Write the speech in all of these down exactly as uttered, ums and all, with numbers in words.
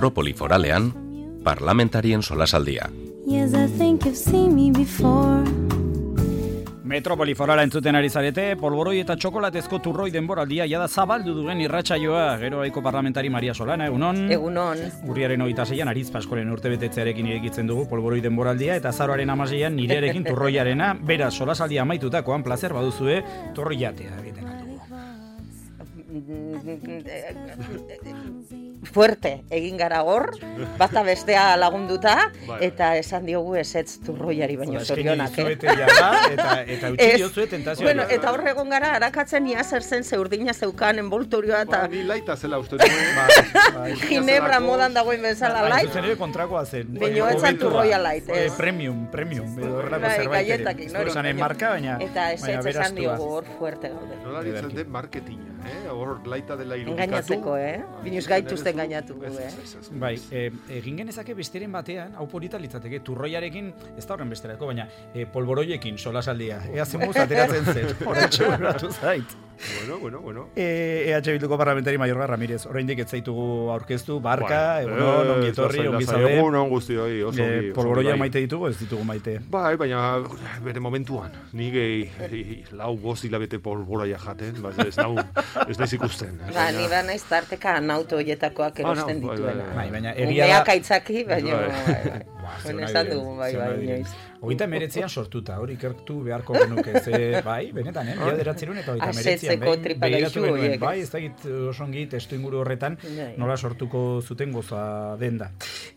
Metropoliforalean, parlamentarien solasaldia. Yes, I think you've seen me before. Metropoliforala entzuten ari zarete, polboroi eta txokolatezko turroi denboraldia jada zabaldu duen irratsaioa, gero aiko parlamentari Maria Solana, egunon? Egunon. Urriaren hogeita seian Aritz Paskoren urtebetetzearekin irekitzen dugu polboroi denboraldia, eta azaroaren hamaseian nirearekin turroiarena, beraz solasaldia amaitutakoan plazer baduzue turroiatea egiten aldugu. Fuerte, egin gara hor, bata bestea lagunduta, eta esan diogu ezetz turroiari baino zorionak, eh? Eta, eta utzi diozue tentazioa. Bueno, eta hor egon gara, harakatzen ia zer zen zeurdina zeukan envoltorioa, eta... Ba, ni laita zela uste duen. Ginebra modan dagoen bezala lait. Zuzen ere kontrakoa zen. Baina etzan turroia lait, ez? Premium, premium. Gaietak ere. Marka, baina... Eta ezetz esan diogu hor fuerte gaude. Nola ditzen den marketinga, eh? Hor laita dela irudikatu. Engainatzeko, eh? Binuz gaituzten gainatu, eh? Bai, egin genezake besteren batean, hau polita litzateke, turroiarekin, ez da horren besterako, baina polboroiekin solasaldia. Ea zemuz ateratzen zen, horretxe burratu zait. Bueno, bueno, bueno. E H Bilduko parlamentari Mayorga Ramirez, oraindik ez zaitugu aurkeztu, barka, egunon, ongi etorri, ongi zaude. Egunon guztioi, oso ongi. Polboroia maite ditugu, ez ditugu maite. Bai, baina bere momentuan, ni gehi lau bost hilabete polboroia jaten, ez nau, ez naiz ikusten. Ba, ni ba naiz tarteka nauto hoietakoak erosten dituena. Bai, baina egia da... Umeak aitzaki, baina... Baina esan dugu, bai, bai, inoiz. Hogeita meretzean sortuta, hori ikertu beharko genuke, ze, bai, benetan, eh? Ia deratzerun eta hogeita meretzean, begiratu genuen, bai, ez dakit osongi testu inguru horretan, nola sortuko zuten goza denda.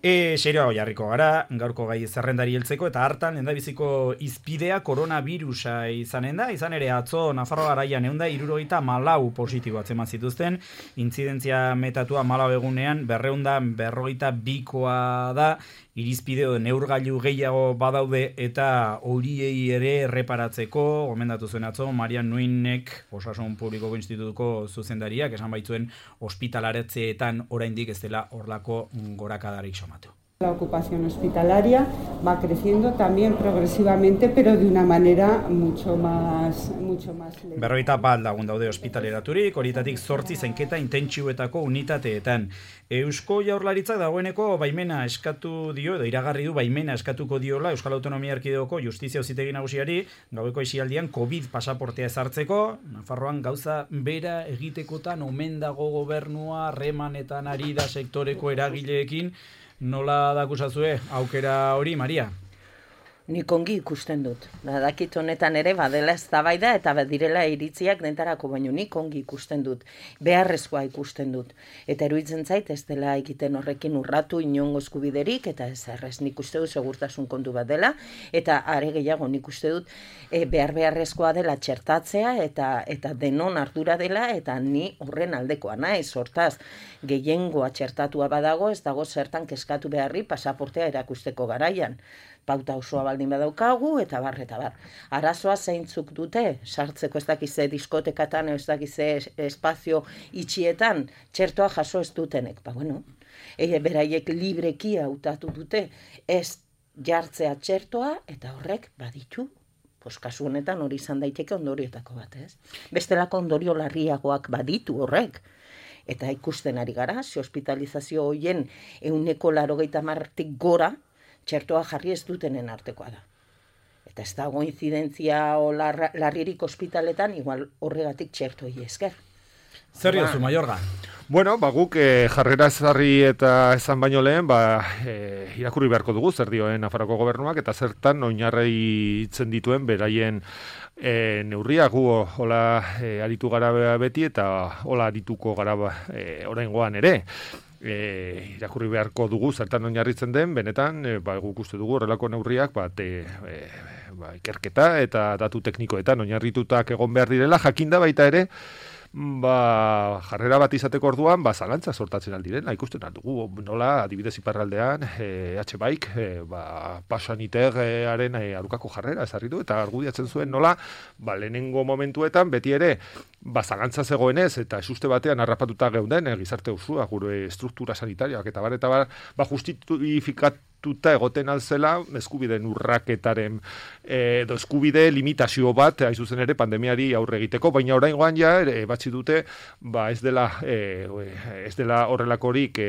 E, serioa jarriko gara, gaurko gai zerrendari heltzeko, eta hartan, endabiziko izpidea koronavirusa izanen da, izan ere atzo, Nafarroa garaian eunda irurogeita malau positibo atzeman zituzten, intzidentzia metatua malau egunean, berreunda berrogeita bikoa da, irizpideo neurgailu gehiago badaude eta horiei ere erreparatzeko, gomendatu zuen atzo, Marian Nuinek, Osasun Publikoko Institutuko zuzendariak, esan baitzuen ospitalaretzeetan oraindik ez dela horlako gorakadarik somatu. La ocupación hospitalaria va creciendo también progresivamente, pero de una manera mucho más, mucho más lenta. Berrogeita bat lagun daude ospitaleraturik, horietatik zortzi zainketa intentsiboetako unitateetan. Eusko Jaurlaritzak dagoeneko baimena eskatu dio, edo iragarri du baimena eskatuko diola Euskal Autonomia Erkidegoko Justizia Auzitegi Nagusiari gaueko isialdian COVID pasaportea ezartzeko, Nafarroan gauza bera egitekotan omen dago gobernua, harremanetan ari da sektoreko eragileekin. Nola dakusazue aukera hori, Maria? Nik ongi ikusten dut. Badakit honetan ere badela eztabaida eta badirela iritziak dentarako, baino nik ongi ikusten dut. Beharrezkoa ikusten dut. Eta eruditzen zait ez dela egiten horrekin urratu inongo eskubiderik eta ez errez nik uste dut segurtasun kontu bat dela eta are gehiago nik uste dut e, behar beharrezkoa dela txertatzea eta eta denon ardura dela eta ni horren aldekoa naiz. Hortaz, gehiengoa txertatua badago ez dago zertan kezkatu beharri pasaportea erakusteko garaian. Pauta osoa baldin badaukagu, eta bar, eta bar. Arazoa zeintzuk dute, sartzeko ez dakize diskotekatan, ez dakize espazio itxietan, txertoa jaso ez dutenek. Ba, bueno, e, beraiek libreki hautatu dute, ez jartzea txertoa, eta horrek baditu. Pues, kasu honetan hori izan daiteke ondorioetako bat, ez? Bestelako ondorio larriagoak baditu horrek. Eta ikusten ari gara, ze hospitalizazio hoien ehuneko laurogeita hamartik gora, txertoa jarri ez dutenen artekoa da. Eta ez dago inzidentzia o lar, larririk ospitaletan, igual horregatik txertoi esker. Zer diozu, Mayorga? Bueno, ba, guk eh, jarrera ezarri eta esan baino lehen, ba, eh, irakurri beharko dugu zer dioen Nafarroako gobernuak, eta zertan oinarri itzen dituen beraien e, neurriak gu hola e, aritu gara beti, eta hola arituko gara e, oraingoan ere. E, irakurri beharko dugu zertan oinarritzen den, benetan e, ba, guk uste dugu horrelako neurriak bat, e, e, ba, ikerketa eta datu teknikoetan oinarritutak egon behar direla, jakinda baita ere ba, jarrera bat izateko orduan, ba, zalantza sortatzen aldirena, ikusten aldugu, nola, adibidez iparraldean, e, H-Bike, e, ba, pasaniteraren e, arukako jarrera ezarri du, eta argudiatzen zuen nola, ba, lehenengo momentuetan, beti ere, ba, zalantza zegoenez, eta esuste batean harrapatuta geunden, e, gizarte usua, gure struktura sanitariak, eta bar, eta bar, ba, justifikatu tuta egoten alzela eskubideen urraketaren edo eskubide limitazio bat hain zuzen ere pandemiari aurre egiteko, baina oraingoan ja e, batzi dute ba ez dela e, ez dela horrelakorik e,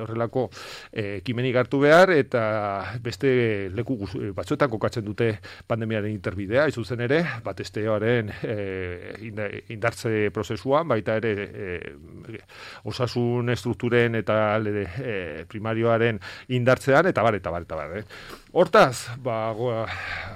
horrelako ekimenik hartu behar eta beste leku batzuetan kokatzen dute pandemiaren interbidea hain zuzen ere batesteoaren e, indartze prozesuan baita ere e, osasun estrukturen eta alde e, primarioaren indartzean eta bar, eta bar, eta bar, eh? Hortaz, ba,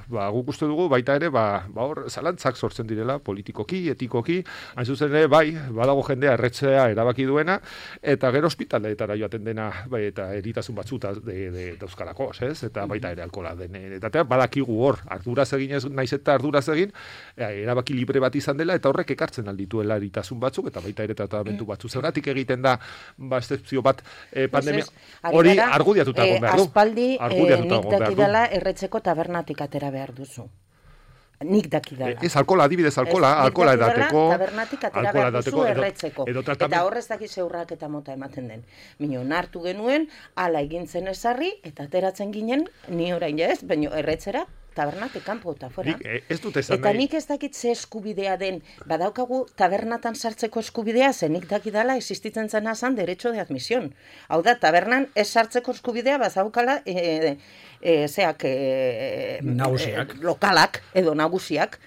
ba, guk uste dugu baita ere, ba, ba hor, zalantzak sortzen direla, politikoki, etikoki, hain zuzen ere, bai, badago jendea erretzea erabaki duena, eta gero ospitaleetara joaten dena, bai, eta eritasun batzuta de, de, dauzkalako, ez? Eta baita ere alkola den, eta badakigu hor, arduraz egin ez, naiz eta arduraz egin, erabaki libre bat izan dela, eta horrek ekartzen aldituela eritasun batzuk, eta baita ere tratamentu batzu. Zergatik egiten da, ba, excepzio bat, eh, pandemia, hori argudiatuta egon behar du. Aspaldi, nik dakidala erretzeko tabernatik atera behar duzu. Nik dakidala. Ez alkola, adibidez alkola, alkola edateko. Tabernatik atera behar duzu erretzeko. Eta horrez dakiz eurrak eta mota ematen den. Mino, nartu genuen, ala egintzen esarri, eta ateratzen ginen, ni orain ez, baina erretzera, tabernatik kanpo eta fuera. Nik, ez dut esan eta nik ez dakit ze eskubidea den, badaukagu tabernatan sartzeko eskubidea, ze nik dakidala existitzen zena zan derecho de admisión. Hau da, tabernan ez sartzeko eskubidea, bazaukala, e, e, zeak, e, nagusiak. E, lokalak, edo nagusiak,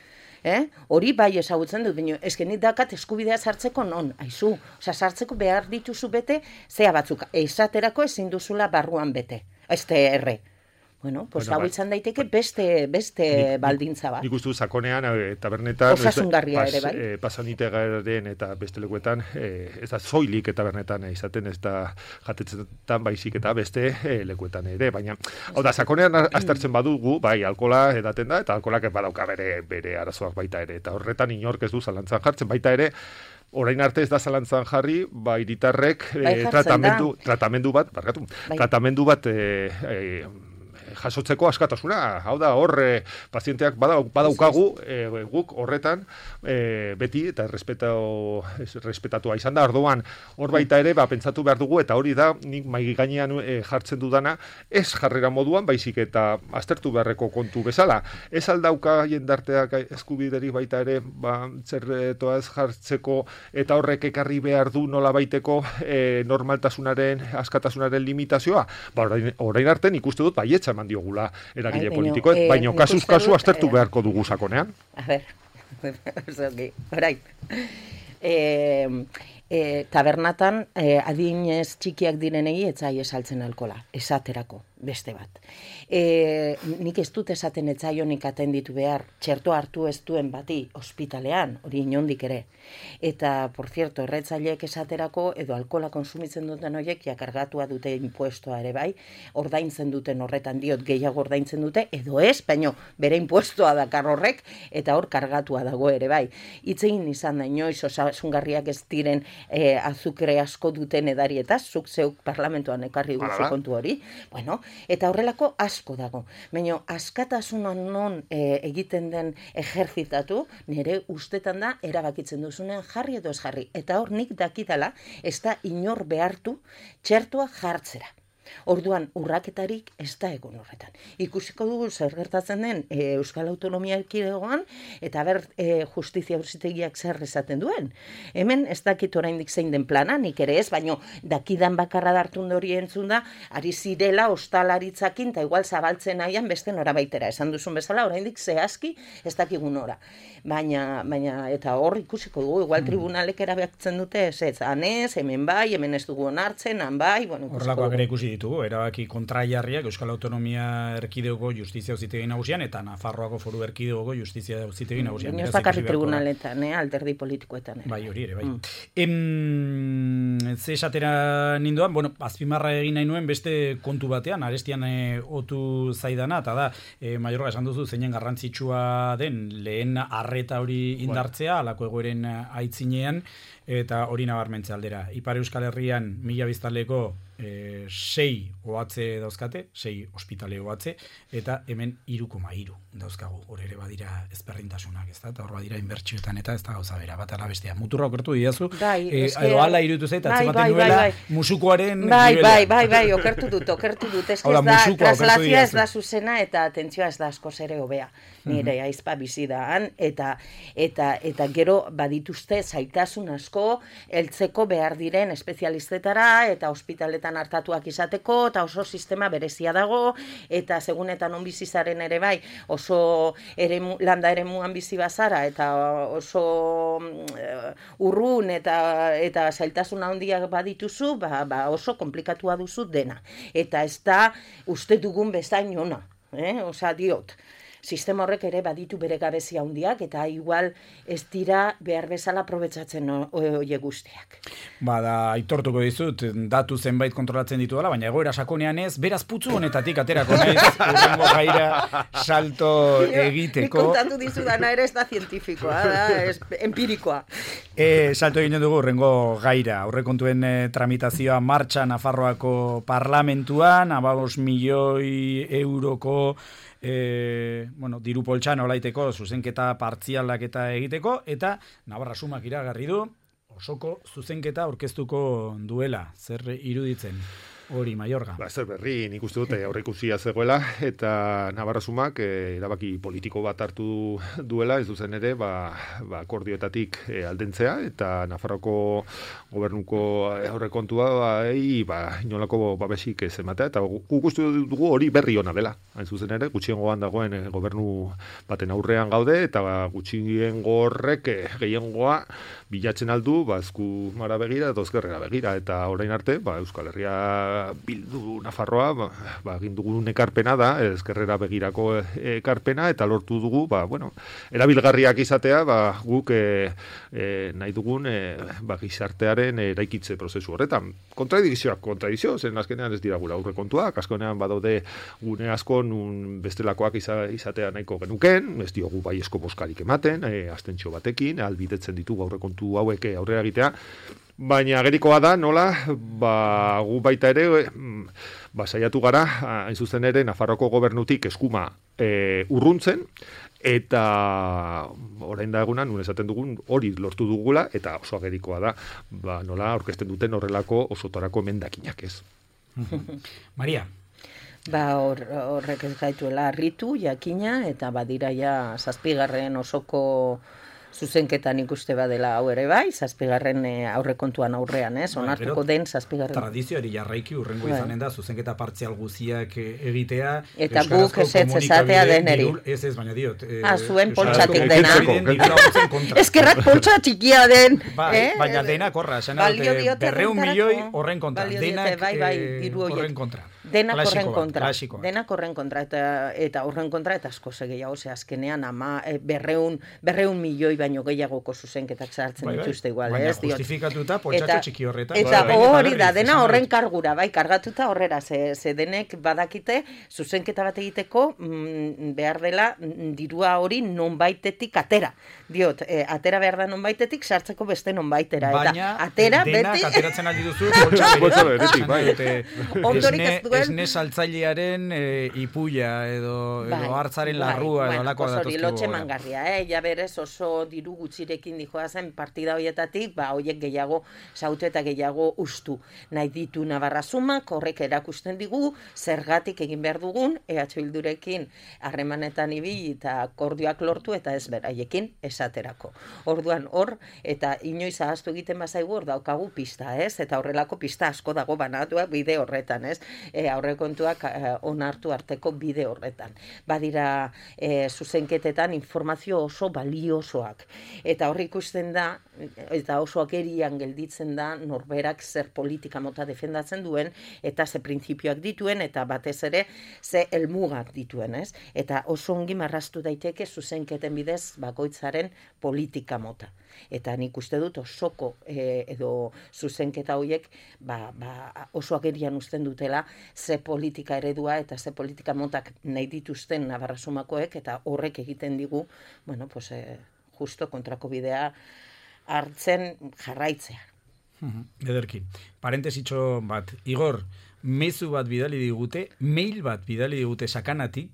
eh? Hori bai ezagutzen dut, baina eskenik dakat eskubidea sartzeko non, aizu. Osa, sartzeko behar dituzu bete, zea batzuk, esaterako ezin duzula barruan bete, este erre. Bueno, pues bueno, hau izan daiteke beste beste nik, baldintza bat. Nik uste du sakonean e, tabernetan osasungarria ere bai. E, pasanitearen eta beste lekuetan e, ez da zoilik tabernetan e, izaten ez da jatetzetan baizik eta beste e, lekuetan ere, baina hau da sakonean aztertzen badugu, bai alkola edaten da eta alkolak badauka bere bere arazoak baita ere eta horretan inork ez du zalantzan jartzen baita ere. Orain arte ez da zalantzan jarri, ba hiritarrek e, tratamendu tratamendu bat, barkatu. Bai. Tratamendu bat e, e, jasotzeko askatasuna, hau da, hor e, pazienteak badau, badaukagu e, guk horretan e, beti eta respetatu, respetatua izan da, orduan hor baita ere, ba, pentsatu behar dugu eta hori da, nik maigi gainean e, jartzen dudana, ez jarrera moduan, baizik eta aztertu beharreko kontu bezala. Ez aldauka jendarteak eskubideri baita ere, ba, zerretoa ez jartzeko eta horrek ekarri behar du nola baiteko e, normaltasunaren, askatasunaren limitazioa. Ba, orain, orain arte nik uste dut baietza eman diogula eragile politikoek, eh, baina kasuz kasu aztertu eh, beharko dugu sakonean. A ber, orain. Eh, eh, tabernatan eh, adinez txikiak direnei etzai esaltzen alkola, esaterako, beste bat. E, nik ez dut esaten etzaionik atenditu behar, txerto hartu ez duen bati ospitalean, hori inondik ere. Eta, por cierto, erretzaileek esaterako, edo alkola konsumitzen duten horiek, jakargatua dute impuestoa ere bai, ordaintzen duten horretan diot, gehiago ordaintzen dute, edo ez, baino, bere impuestoa dakar horrek, eta hor kargatua dago ere bai. Itzein izan da, inoiz, osasungarriak ez diren e, azukre asko duten edarietaz, zuk zeuk parlamentuan ekarri duzu kontu hori, bueno, eta horrelako asko dago. Baina askatasunan non e, egiten den ejerzitatu, nire ustetan da erabakitzen duzunean jarri edo ez jarri. Eta hor nik dakidala ez da inor behartu txertoa jartzera. Orduan, urraketarik ez da egon horretan. Ikusiko dugu zer gertatzen den e, Euskal Autonomia Erkidegoan, eta ber e, justizia auzitegiak zer esaten duen. Hemen ez dakit oraindik zein den plana, nik ere ez, baino dakidan bakarra dartun hori entzun da, ari zirela ostalaritzakin, eta igual zabaltzen nahian beste norabaitera. Esan duzun bezala, oraindik zehazki ez dakigun ora. Baina, baina, eta hor ikusiko dugu, igual tribunalek erabakitzen dute, ez ez, anez, hemen bai, hemen ez dugu onartzen, han bai, bueno, horrelakoak ere ikusi ditugu, erabaki kontraiarriak Euskal Autonomia Erkidegoko Justizia Auzitegi Nagusian eta Nafarroako Foru Erkidegoko Justizia Auzitegi Nagusian. Ez bakarrik tribunaletan, eh, alderdi politikoetan. Bai, hori ere, bai. Mm. Em, ze esatera nindoan, bueno, azpimarra egin nahi nuen beste kontu batean, arestian e, otu zaidana, eta da, e, Maiorga esan duzu zeinen garrantzitsua den lehen arreta hori indartzea, alako egoeren aitzinean, eta hori nabarmentze aldera. Ipar Euskal Herrian mila biztanleko e, sei ohatze dauzkate, sei ospitale ohatze, eta hemen hiru koma hiru dauzkagu. Hor ere badira ezberdintasunak, ez da? Eta hor badira inbertsioetan eta ez da gauza bera, bat ala bestea. Muturra okertu didazu, bai, e, edo ala irutu zait, atzematen bai, duela bai, bai. musukoaren bai, nivela. bai, bai, bai, okertu dut, okertu dut. Ez da, traslazioa ez da zuzena eta atentzioa ez da askoz ere hobea. Nire mm-hmm. aizpa bizi da han, eta, eta, eta gero badituzte zaitasun asko, heltzeko behar diren espezialistetara, eta ospitaletan hartatuak izateko, eta oso sistema berezia dago, eta segunetan on bizizaren ere bai, oso eremu, landa eremuan bizi bazara, eta oso uh, urrun, eta, eta zailtasun handiak badituzu, ba, ba oso komplikatua duzu dena. Eta ez da uste dugun bezain ona, eh? Osa diot. Sistema horrek ere baditu bere gabezia handiak eta igual ez dira behar bezala aprobetxatzen hoe guztiak. Bada, aitortuko dizut, datu zenbait kontrolatzen ditu dela, baina egoera sakonean ez, beraz putzu honetatik aterako naiz, urrengo gaira salto egiteko. Nik kontatu dizu dana ere ez da zientifikoa, da, ez empirikoa. E, salto egin dugu urrengo gaira, aurrekontuen e, tramitazioa martxa Nafarroako parlamentuan, abagos milioi euroko E, bueno, diru poltsan olaiteko zuzenketa partzialak eta egiteko, eta Navarra Sumak iragarri du osoko zuzenketa aurkeztuko duela. Zer iruditzen hori, Maiorga? Ba, zer berri, nik uste dute aurreikusia zegoela, eta Navarra Sumak e, erabaki politiko bat hartu duela, ez duzen ere, ba, ba akordioetatik e, aldentzea, eta Nafarroko gobernuko aurrekontua ba, ei, ba, inolako babesik ez ematea, eta guk uste dugu hori berri ona dela. Hain zuzen ere, gutxiengoan dagoen e, gobernu baten aurrean gaude, eta ba, gutxiengo horrek e, gehiengoa bilatzen aldu, ba, ezku mara begira, eta ezkerrera begira, eta orain arte, ba, Euskal Herria Bildu Nafarroa, ba, ba, egin dugun ekarpena da, ezkerrera begirako ekarpena, eta lortu dugu, ba, bueno, erabilgarriak izatea, ba, guk e, e, nahi dugun e, ba, gizartearen eraikitze prozesu horretan. Kontradikzioak, kontradikzio, zen azkenean ez dira gura aurrekontuak, azkenean badaude gune asko nun bestelakoak izatea nahiko genuken, ez diogu baiezko boskarik ematen, e, abstentzio batekin, albidetzen ditugu aurrekontu hauek aurrera egitea, baina agerikoa da, nola, ba, gu baita ere, ba, saiatu gara, hain zuzen ere, Nafarroko gobernutik eskuma e, urruntzen, eta orain da egunan, nun esaten dugun, hori lortu dugula, eta oso agerikoa da, ba, nola, aurkezten duten horrelako osotarako emendakinak ez. Maria? Ba, hor, horrek ez gaituela harritu, jakina, eta badira ja zazpigarren osoko zuzenketan ikuste badela hau ere bai, zazpigarren e, aurrekontuan aurrean, ez? Onartuko den zazpigarren. Tradizioari jarraiki urrengo bai. Izanen da, zuzenketa partzial guziak egitea. Eta guk ez esatea deneri. Ez ez, baina diot. E, ah, zuen poltsatik dena. Eskerrak poltsa txikia den. Bai, eh? Baina denak horra, esan dut, berreun milioi horren kontra. Denak bai, bai, horren kontra. Denak horren kontra. Denak horren kontra, eta, eta horren kontra, eta asko gehiago, ze azkenean ama berreun, berreun milioi baino gehiagoko zuzenketak sartzen bai, dituzte igual, baina ez? Baina justifikatuta poltsatxo txiki horretan. Eta bai, hori da, dena horren kargura, bai, kargatuta horrera, ze, ze denek badakite zuzenketa bat egiteko mm, behar dela dirua hori nonbaitetik atera. Diot, e, atera behar da nonbaitetik, sartzeko beste nonbaitera. Baina eta atera denak beti... ateratzen aldi duzu poltsa beretik. Bai, ondorik ez duen... Esne saltzailearen e, ipuia edo, bai, edo hartzaren bai, larrua edo alakoa datuzkigu. Hori, lotxe mangarria, eh? Ja berez oso diru gutxirekin dijoa zen partida hoietatik, ba, hoiek gehiago sautu eta gehiago ustu. Nahi ditu Navarra Sumak, horrek erakusten digu, zergatik egin behar dugun, E H Bildurekin harremanetan ibili eta akordioak lortu eta ez beraiekin esaterako. Orduan hor, eta inoiz ahaztu egiten bazaigu hor daukagu pista, ez? Eta horrelako pista asko dago banatuak bide horretan, ez? E, aurrekontuak e, onartu arteko bide horretan. Badira e, zuzenketetan informazio oso baliosoak. Eta horri ikusten da, eta oso agerian gelditzen da, norberak zer politika mota defendatzen duen, eta ze printzipioak dituen, eta batez ere ze helmugak dituen, ez? Eta oso ongi marraztu daiteke zuzenketen bidez bakoitzaren politika mota. Eta nik uste dut osoko e, edo zuzenketa horiek ba, ba, oso agerian uzten dutela ze politika eredua eta ze politika motak nahi dituzten Navarra Sumakoek, eta horrek egiten digu, bueno, pues, e, justo kontrako bidea hartzen jarraitzea. Ederki. Parentesitxo bat, Igor, mezu bat bidali digute, mail bat bidali digute sakanatik,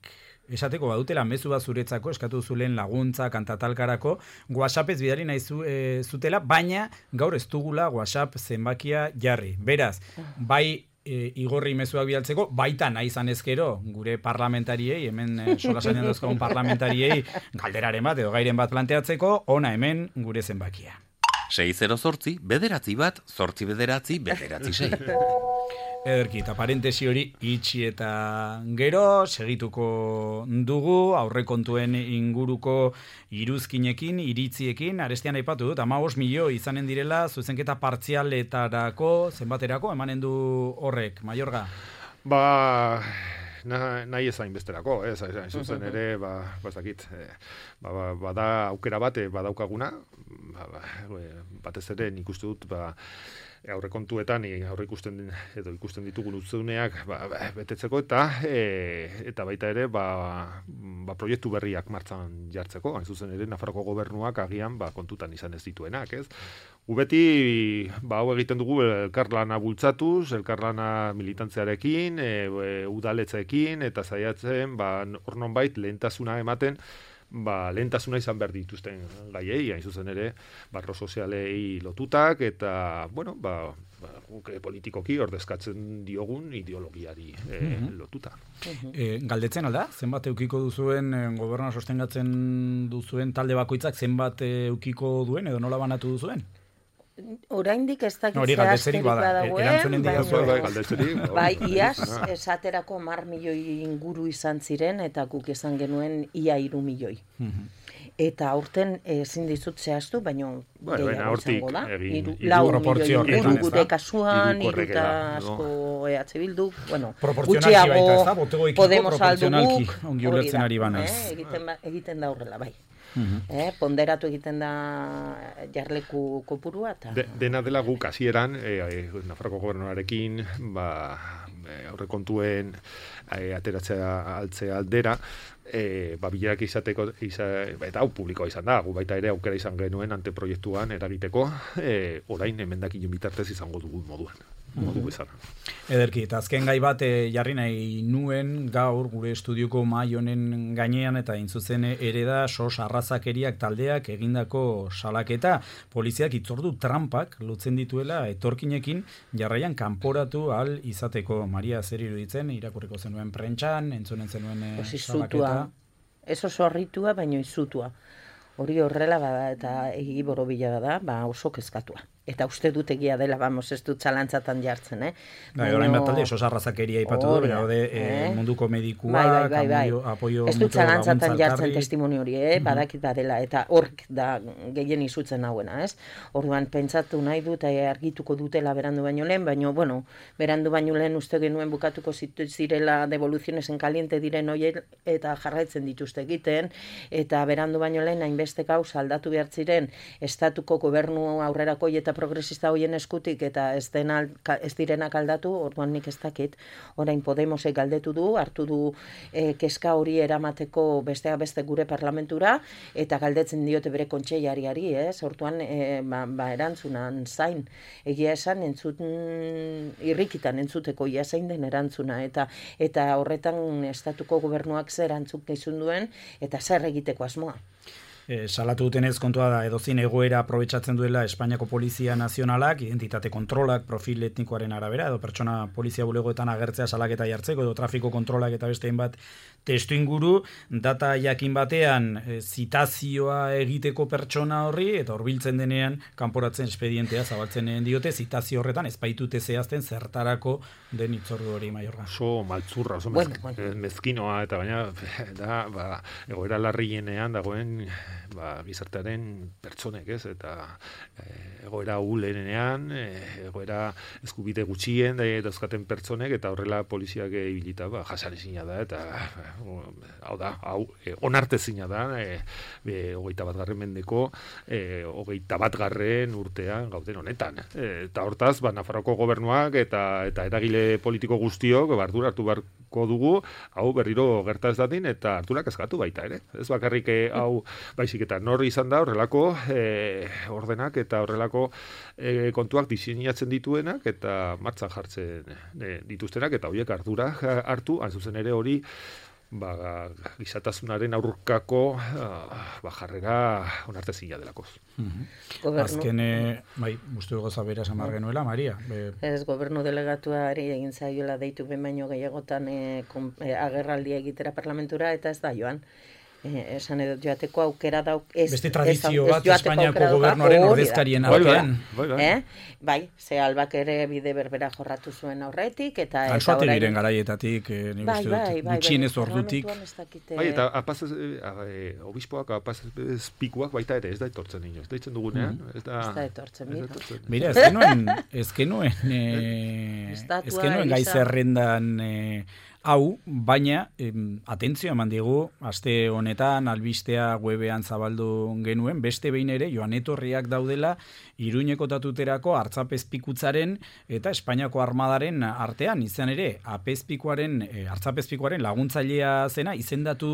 esateko badutela mezu bat zuretzako, eskatu zulen laguntza, kantatalkarako, WhatsAppez bidali nahi zu, e, zutela, baina gaur ez dugula WhatsApp zenbakia jarri. Beraz, bai e, Igorri mezuak bidaltzeko, baita nahi izan ezkero, gure parlamentariei, hemen e, solasainen dozkagun parlamentariei, galderaren bat edo gairen bat planteatzeko, ona hemen gure zenbakia. sei zero zortzi, bederatzi bat, zortzi bederatzi, bederatzi sei. Ederki, eta parentesi hori itxi eta gero, segituko dugu, aurrekontuen inguruko iruzkinekin, iritziekin, arestian aipatu dut, hamabost milio izanen direla, zuzenketa partzialetarako, zenbaterako, emanen du horrek, Maiorga? Ba... Na, nahi ezain besterako, ez, hain zuzen ere, ba, bazakit, eh, ba, ba, bada aukera bate badaukaguna, ba, ba, batez ere nik uste dut, ba, aurrekontuetan aurre ikusten edo ikusten ditugun utzuneak ba, ba, betetzeko eta e, eta baita ere ba, ba proiektu berriak martxan jartzeko, hain zuzen ere Nafarroko gobernuak agian ba kontutan izan ez dituenak, ez? Gu beti ba hau egiten dugu elkarlana bultzatuz, elkarlana militantziarekin, e, e, udaletzeekin eta saiatzen ba hor nonbait lehentasuna ematen ba, lehentasuna izan behar dituzten gaiei, hain zuzen ere, barro sozialei lotutak, eta, bueno, ba, ba guke politikoki ordezkatzen diogun ideologiari e, mm-hmm. lotuta. Mm-hmm. E, galdetzen alda, zenbat eukiko duzuen, gobernua sostengatzen duzuen talde bakoitzak zenbat eukiko duen, edo nola banatu duzuen? Oraindik ez dakit zehazterik badagoen, baina bai, iaz, esaterako mar milioi inguru izan ziren, eta guk esan genuen ia hiru milioi. Eta aurten ezin dizut zehaztu, baina gehiago izango da. Lau milioi inguru gure kasuan, iruta asko E H Bildu, bueno, gutxiago Podemos alduguk, hori da, egiten da horrela, bai. Uh-huh. Eh, ponderatu egiten da jarleku kopurua eta De, dena dela guk hasieran eh, eh, Nafarroko gobernuarekin ba, eh, aurrekontuen eh, ateratzea altzea aldera eh, ba, bilerak izateko iza, eta hau publikoa izan da, gu baita ere aukera izan genuen anteproiektuan eragiteko eh, orain emendakin bitartez izango dugu moduan. Modu bezala. Ederki, eta azken gai bat e, jarri nahi nuen gaur gure estudioko mahai honen gainean eta intzuzen ere da sos arrazakeriak taldeak egindako salaketa. Poliziak itzordu trampak lotzen dituela etorkinekin jarraian kanporatu al izateko. Maria, zer iruditzen, irakurriko zenuen prentxan, entzunen zenuen e, salaketa? Ez oso harritua, baino izutua. Hori horrela bada eta egi borobila bada, ba oso kezkatua. Eta uste dut egia dela, vamos, ez dut zalantzatan jartzen, eh? Bai, orain bat talde, oso arrazakeria ipatu du, bera, ode, eh? munduko medikua, bai, bai, bai, bai. apoio ez dut zalantzatan jartzen testimoni hori, eh? Badakit badela, eta hork da gehien izutzen hauena, ez? Orduan, pentsatu nahi dut, argituko dutela berandu baino lehen, baino, bueno, berandu baino lehen uste genuen bukatuko zirela devoluciones en caliente diren hoiek, eta jarraitzen dituzte egiten, eta berandu baino lehen, hainbeste gauza aldatu behar ziren, estatuko gobernu aurrerako eta progresista hoien eskutik eta ez, dena, ez direnak aldatu, orduan nik ez dakit, orain Podemosek galdetu du, hartu du e, keska hori eramateko besteak beste gure parlamentura, eta galdetzen diote bere kontseiariari, ez? Orduan, e, ba, ba erantzunan zain, egia esan entzut, irrikitan entzuteko ia zein den erantzuna, eta eta horretan estatuko gobernuak zer erantzuk izun duen, eta zer egiteko asmoa. E, salatu dutenez kontua da edozin egoera aprobetxatzen duela Espainiako Polizia Nazionalak, identitate kontrolak, profil etnikoaren arabera, edo pertsona polizia bulegoetan agertzea salaketa jartzeko, edo trafiko kontrolak eta beste hainbat testu inguru, data jakin batean e, zitazioa egiteko pertsona horri, eta horbiltzen denean kanporatzen espedientea zabaltzen diote, zitazio horretan ez baitute zehazten zertarako den itzordu hori, Maiorga. Oso maltzurra, oso bueno, mez, bueno. mezkinoa, eta baina da, ba, egoera larrienean dagoen ba, gizartearen pertsonek, ez, eta e, egoera ulenean, e, egoera eskubide gutxien da, dauzkaten pertsonek, eta horrela poliziak ibilita, ba, jasanezina da, eta hau da, hau, e, onartezina da, e, e, hogeita bat garren mendeko, e, hogeita bat garren urtean gauden honetan. E, eta hortaz, ba, Nafarroko gobernuak eta eta eragile politiko guztiok, ba, ardura hartu behar dugu, hau berriro gerta ez dadin, eta harturak eskatu baita ere. Ez bakarrik hau baizik eta nor izan da horrelako e, ordenak eta horrelako e, kontuak diseinatzen dituenak eta martxan jartzen e, dituztenak, eta horiek ardura hartu, hain zuzen ere hori ba, gizatasunaren aurkako ba, jarrera onartezina delakoz. Mm-hmm. Azken, e, bai, uste goza bera samar genuela, Maria? Be... Ez, gobernu delegatuari egin zaiola deitu behin baino gehiagotan e, kom, e, agerraldia egitera parlamentura, eta ez da joan. Eh, esan edo joateko aukera dauk ez, beste tradizio ez, bat Espainiako gobernuaren ordezkarien artean. Bai, bai. Eh? bai, ze Albak ere bide berbera jorratu zuen aurretik eta Alsoate diren garaietatik, eh, ni bai, uste bai, dut, bai, gutxienez ordutik. Bai, eta apaz eh, obispoak apaz pikuak baita ere ez da etortzen ino, ez da itzen dugunean, mm-hmm. ez da ez da etortzen mira. Mira, ez genuen, ez genuen, eh, ez genuen gai zerrendan eh, hau, baina, em, atentzio eman digu, aste honetan, albistea webean zabaldu genuen, beste behin ere, joan etorriak daudela, Iruñeko tatuterako hartzapezpikutzaren eta Espainiako armadaren artean, izan ere, apezpikuaren, e, hartzapezpikuaren laguntzailea zena, izendatu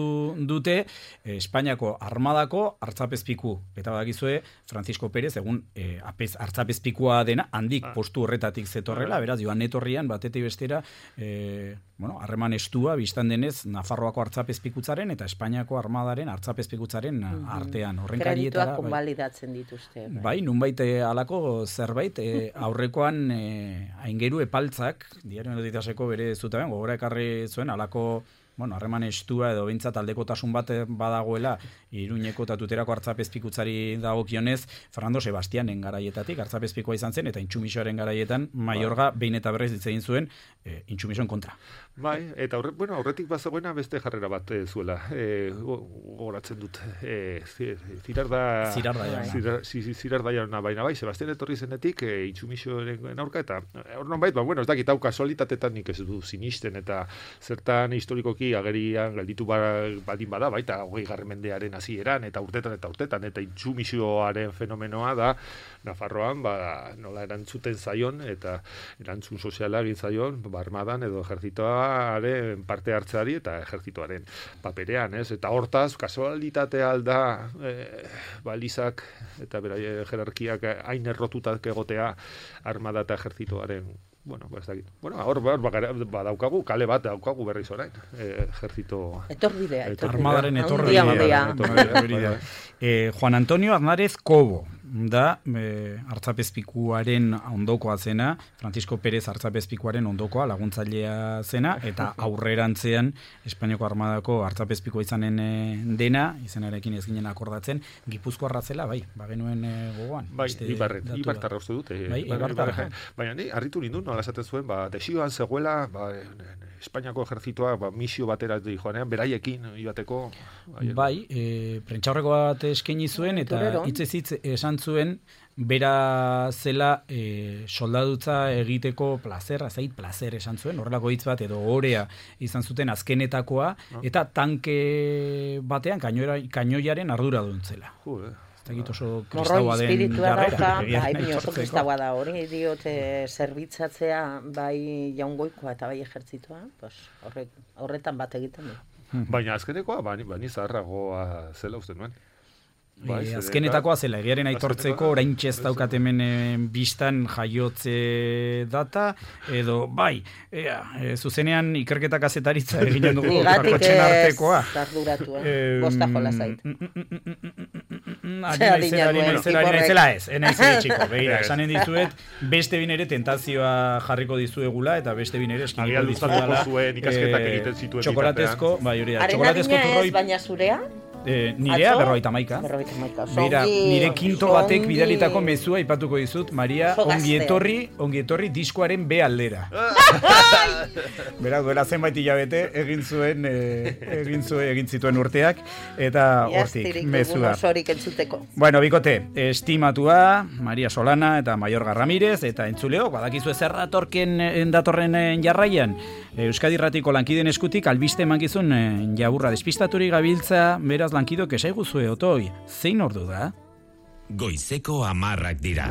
dute e, Espainiako armadako hartzapezpiku. Eta badakizue, Francisco Pérez, egun e, apez, hartzapezpikua dena, handik postu horretatik zetorrela, beraz, joan etorrian, batetik bestera, e, bueno, harreman estua, biztan denez, Nafarroako hartzapezpikutzaren eta Espainiako armadaren hartzapezpikutzaren mm-hmm. artean. Horren kredituak konbalidatzen dituzte. Bai, bai nunbait halako zerbait, e, aurrekoan e, aingeru epaltzak, diario notitaseko bere zutaben, gogora ekarri zuen, halako, bueno, harreman estua edo behintzat aldekotasun bat badagoela Iruñeko tatuterako hartzapezpikutzari dagokionez, Fernando Sebastianen garaietatik hartzapezpikoa izan zen, eta Intsumisoaren garaietan Maiorga behin eta berrez hitz egin zuen e, Intsumisoen kontra. Bai, eta horre, bueno, horretik bazagoena beste jarrera bat e, zuela. E, gogoratzen dut. E, zirarda... Zirarda jauna. Zirar, zirarda jauna baina bai, Sebastian etorri zenetik e, Intsumisoaren aurka, eta hor non bait, ba, bueno, ez dakit hau kasualitatetan nik ez du sinisten, eta zertan historikoki agerian gelditu badin bada, baita hogei garren mendearen hasieran eta urtetan eta urtetan, eta Intsumisoaren fenomenoa da Nafarroan, ba, nola erantzuten zaion, eta erantzun soziala egin zaion, ba, armadan edo ejertzitoaren parte hartzeari eta ejertzitoaren paperean, ez? Eta hortaz, kasualitatea alda e, balizak eta beraie jerarkiak hain errotutak egotea armada eta ejertzitoaren bueno, ba ez dakit. Bueno, hor badaukagu, kale bat daukagu berriz orain. Eh, ejertzito... Etorbidea, etorbidea. Armadaren etorbidea. Eh, Juan Antonio Aznarez Cobo da eh, hartzapezpikuaren ondokoa zena, Francisco Pérez hartzapezpikuaren ondokoa laguntzailea zena, eta aurrerantzean Espainiako armadako hartzapezpikoa izanen eh, dena, izenarekin ez ginen akordatzen, Gipuzkoarra zela, bai, bagenuen eh, gogoan. Bai, ibarret, ibartarra uste dute. Bai, ibartarra. Baina ni, harritu nindun, nola esaten zuen, ba, desioan zegoela, ba, Espainiako ejertzitoa, ba, misio batera joanean, beraiekin, ibateko... Bai, e, prentxaurreko bat eskaini zuen, eta hitzez hitz esan zuen, bera zela e, soldadutza egiteko plazera, zait plazer esan zuen, horrelako hitz bat edo orea izan zuten azkenetakoa, eta tanke batean kainoira, kainoiaren ardura duntzela. Jure. Ez da oso kristaua den jarrera. Bai, oso kristaua da, hori diote zerbitzatzea bai jaungoikoa eta bai ejertzitoa, pues, horre, horretan bat egiten du. Baina azkenekoa, bani, bani zaharragoa zela uste nuen. Bai, e, azkenetakoa zela, egiaren aitortzeko, orain txez daukat hemen e, bistan jaiotze data, edo, bai, ea, e, zuzenean ikerketa kazetaritza eginen dugu, karkotxen artekoa. Igatik ez arduratu, eh? Bosta jola zait. Ari naizela ez, enaiz txiko, behira, esanen dizuet, beste bin ere tentazioa jarriko dizuegula, eta beste bin ere eskiniko dizuegula. Txokolatezko, bai, hori da, txokolatezko turroi... baina zurea? Eh, nirea berroita maika. Bera, nire kinto batek bidalitako mezua ipatuko dizut, Maria, ongietorri, ongietorri diskoaren B aldera. Bera, duela zenbait hilabete egin zuen, eh, egin zuen, egin zituen urteak, eta hortik, mezua. Bueno, bikote, estimatua, Maria Solana eta Maiorga Ramirez, eta entzuleo, badakizu ezer datorken datorren jarraian, Euskadi Irratiko lankiden eskutik, albiste emankizun jaburra despistaturik gabiltza, beraz lankidok esaiguzue otoi, zein ordu da? Goizeko hamarrak dira.